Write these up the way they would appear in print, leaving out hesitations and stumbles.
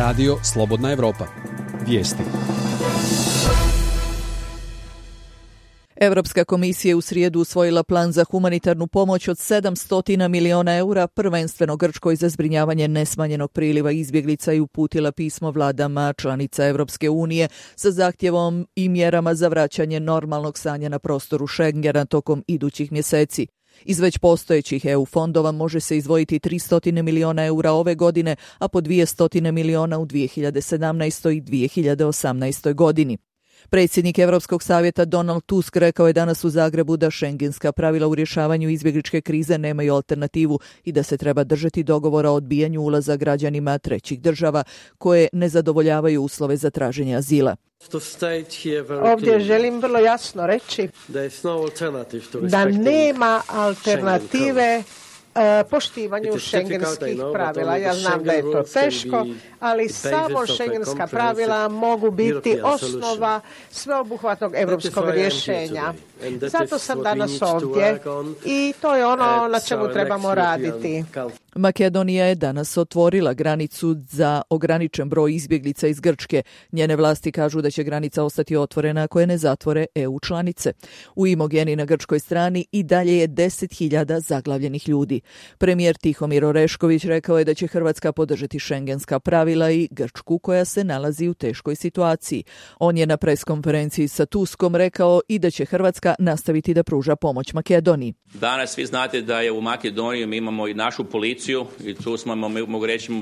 Radio Slobodna Evropa. Vijesti. Europska komisija je u srijedu usvojila plan za humanitarnu pomoć od 700 miliona eura, prvenstveno Grčkoj za zbrinjavanje nesmanjenog priliva izbjeglica i uputila pismo vladama članica Europske unije sa zahtjevom i mjerama za vraćanje normalnog stanja na prostoru Schengena tokom idućih mjeseci. Iz već postojećih EU fondova može se izdvojiti 300 miliona eura ove godine, a po 200 miliona u 2017. i 2018. godini. Predsjednik Europskog savjeta Donald Tusk rekao je danas u Zagrebu da šengenska pravila u rješavanju izbjegličke krize nemaju alternativu i da se treba držati dogovora o odbijanju ulaza građanima trećih država koje ne zadovoljavaju uslove za traženje azila. Ovdje želim vrlo jasno reći da nema alternative poštivanju šengenskih pravila. Ja znam da je to teško, ali samo šengenska pravila mogu biti osnova sveobuhvatnog europskog rješenja. Zato sam danas ovdje i to je ono na čemu trebamo raditi. Makedonija je danas otvorila granicu za ograničen broj izbjeglica iz Grčke. Njene vlasti kažu da će granica ostati otvorena ako je ne zatvore EU članice. U Imogeni na grčkoj strani i dalje je 10.000 zaglavljenih ljudi. Premijer Tihomir Orešković rekao je da će Hrvatska podržati šengenska pravila i Grčku koja se nalazi u teškoj situaciji. On je na preskonferenciji sa Tuskom rekao i da će Hrvatska nastaviti da pruža pomoć Makedoniji. Danas vi znate da je u Makedoniji mi imamo i našu policiju i tu smo, mogu reći,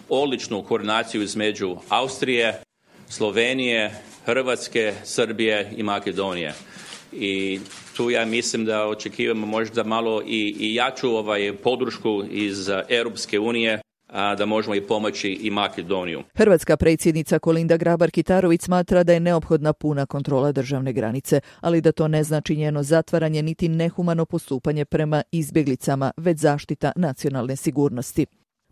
odličnu koordinaciju između Austrije, Slovenije, Hrvatske, Srbije i Makedonije. I tu ja mislim da očekivamo možda malo i jaču podršku iz Europske unije da možemo i pomoći i Makedoniju. Hrvatska predsjednica Kolinda Grabar-Kitarović smatra da je neophodna puna kontrola državne granice, ali da to ne znači njeno zatvaranje niti nehumano postupanje prema izbjeglicama, već zaštita nacionalne sigurnosti.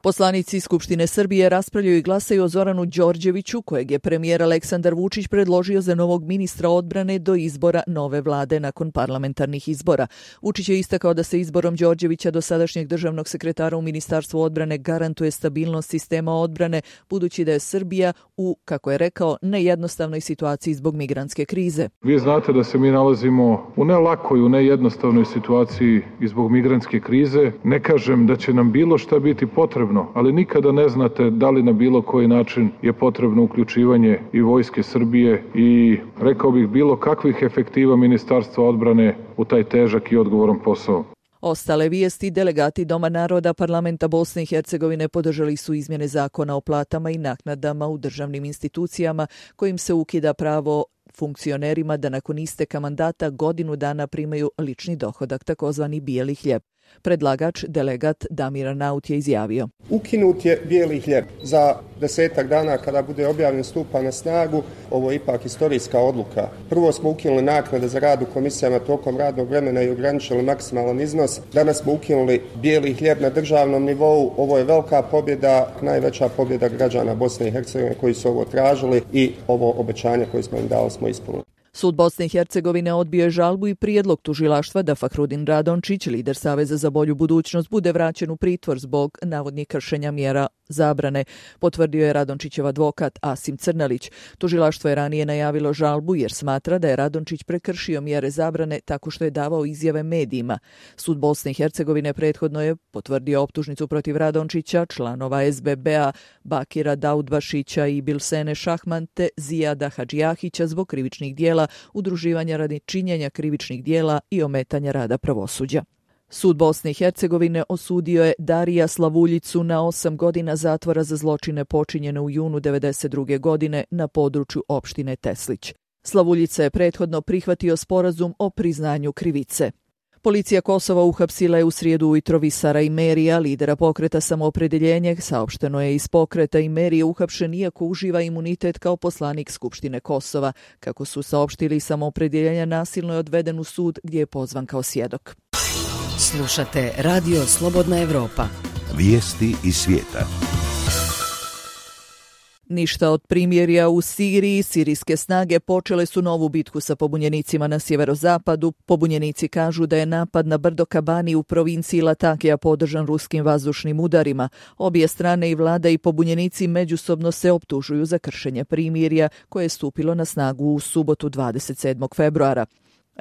Poslanici Skupštine Srbije raspravljaju i glasaju o Zoranu Đorđeviću, kojeg je premijer Aleksandar Vučić predložio za novog ministra odbrane do izbora nove vlade nakon parlamentarnih izbora. Vučić je istakao da se izborom Đorđevića, dosadašnjeg državnog sekretara u Ministarstvu odbrane, garantuje stabilnost sistema odbrane, budući da je Srbija u, kako je rekao, nejednostavnoj situaciji zbog migrantske krize. Vi znate da se mi nalazimo u ne lakoj, u nejednostavnoj situaciji i zbog migrantske krize. Ne kažem da će nam bilo šta biti potrebno, ali nikada ne znate da li na bilo koji način je potrebno uključivanje i vojske Srbije i, rekao bih, bilo kakvih efektiva Ministarstva odbrane u taj težak i odgovoran posao. Ostale vijesti: delegati Doma naroda Parlamenta Bosne i Hercegovine podržali su izmjene zakona o platama i naknadama u državnim institucijama kojim se ukida pravo funkcionerima da nakon isteka mandata godinu dana primaju lični dohodak, takozvani bijeli hljeb. Predlagač, delegat Damir Naut, je izjavio: ukinut je bijeli hljeb. Za 10 dana kada bude objavljen, stupa na snagu. Ovo je ipak historijska odluka. Prvo smo ukinuli naknade za rad u komisijama tokom radnog vremena i ograničili maksimalan iznos. Danas smo ukinuli bijeli hljeb na državnom nivou. Ovo je velika pobjeda, najveća pobjeda građana Bosne i Hercegovine koji su ovo tražili i ovo obećanje koje smo im dali smo ispunili. Sud Bosne i Hercegovine odbio je žalbu i prijedlog tužilaštva da Fahrudin Radončić, lider Saveza za bolju budućnost, bude vraćen u pritvor zbog navodnih kršenja mjera zabrane, potvrdio je Radončićev advokat Asim Crnalić. Tužilaštvo je ranije najavilo žalbu jer smatra da je Radončić prekršio mjere zabrane tako što je davao izjave medijima. Sud Bosne i Hercegovine prethodno je potvrdio optužnicu protiv Radončića, članova SBB-a Bakira Daudbašića i Bilsene Šahman te Zijada Hadžijahića zbog krivičnih dijela, udruživanja radi činjenja krivičnih dijela i ometanja rada pravosuđa. Sud Bosne i Hercegovine osudio je Darija Slavuljicu na 8 godina zatvora za zločine počinjene u junu 1992. godine na području opštine Teslić. Slavuljica je prethodno prihvatio sporazum o priznanju krivice. Policija Kosova uhapsila je u srijedu ujutro Visara Imerija, lidera pokreta Samoopredjeljenje. Saopšteno je iz pokreta Imerije uhapšen iako uživa imunitet kao poslanik Skupštine Kosova. Kako su saopštili, Samoopredjeljenja nasilno je odveden u sud gdje je pozvan kao svjedok. Slušate Radio Slobodna Evropa. Vijesti iz svijeta. Ništa od primirja u Siriji, sirijske snage počele su novu bitku sa pobunjenicima na sjeverozapadu. Pobunjenici kažu da je napad na brdo Kabani u provinciji Latakija podržan ruskim vazdušnim udarima. Obje strane i vlada i pobunjenici međusobno se optužuju za kršenje primirja koje je stupilo na snagu u subotu 27. februara.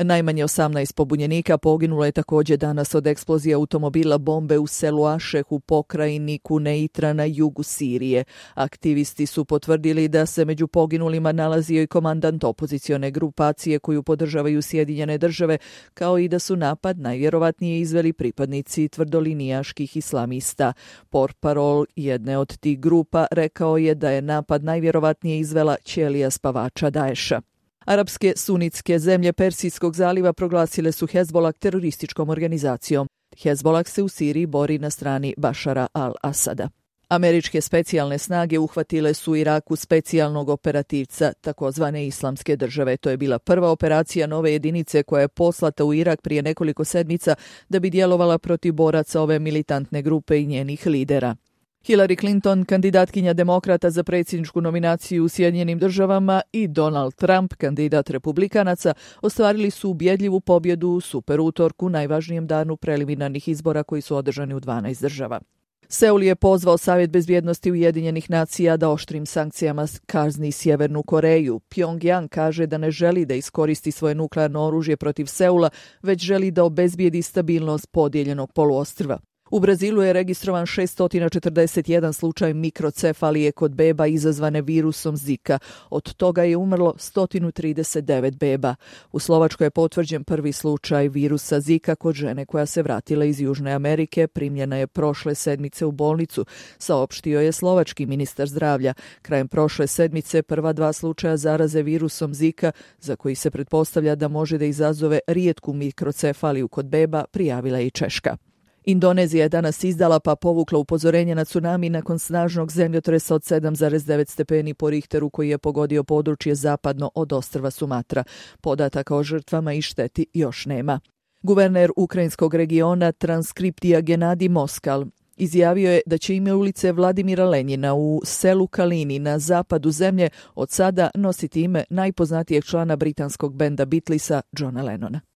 Najmanje 18 pobunjenika poginulo je također danas od eksplozije automobila bombe u selu Ašeh u pokrajini Kuneitra na jugu Sirije. Aktivisti su potvrdili da se među poginulima nalazio i komandant opozicione grupacije koju podržavaju Sjedinjene države, kao i da su napad najvjerovatnije izveli pripadnici tvrdolinijaških islamista. Portparol jedne od tih grupa rekao je da je napad najvjerovatnije izvela ćelija spavača Daesha. Arapske sunitske zemlje Persijskog zaliva proglasile su Hezbollah terorističkom organizacijom. Hezbollah se u Siriji bori na strani Bašara al-Asada. Američke specijalne snage uhvatile su u Iraku specijalnog operativca takozvane Islamske države. To je bila prva operacija nove jedinice koja je poslata u Irak prije nekoliko sedmica da bi djelovala protiv boraca ove militantne grupe i njenih lidera. Hillary Clinton, kandidatkinja demokrata za predsjedničku nominaciju u Sjedinjenim državama, i Donald Trump, kandidat republikanaca, ostvarili su ubjedljivu pobjedu u super utorku, najvažnijem danu preliminarnih izbora koji su održani u 12 država. Seul je pozvao Savjet bezbjednosti Ujedinjenih nacija da oštrim sankcijama kazni Sjevernu Koreju. Pyongyang kaže da ne želi da iskoristi svoje nuklearno oružje protiv Seula, već želi da obezbijedi stabilnost podijeljenog poluostrva. U Brazilu je registrovan 641 slučaj mikrocefalije kod beba izazvane virusom Zika. Od toga je umrlo 139 beba. U Slovačkoj je potvrđen prvi slučaj virusa Zika kod žene koja se vratila iz Južne Amerike. Primljena je prošle sedmice u bolnicu, saopštio je slovački ministar zdravlja. Krajem prošle sedmice prva 2 slučaja zaraze virusom Zika, za koji se pretpostavlja da može da izazove rijetku mikrocefaliju kod beba, prijavila je i Češka. Indonezija je danas izdala pa povukla upozorenje na tsunami nakon snažnog zemljotresa od 7,9 stepeni po Richteru koji je pogodio područje zapadno od ostrva Sumatra. Podataka o žrtvama i šteti još nema. Guverner ukrajinskog regiona Transkriptija Genadi Moskal izjavio je da će ime ulice Vladimira Lenjina u selu Kalini na zapadu zemlje od sada nositi ime najpoznatijeg člana britanskog benda Beatlesa, Johna Lennona.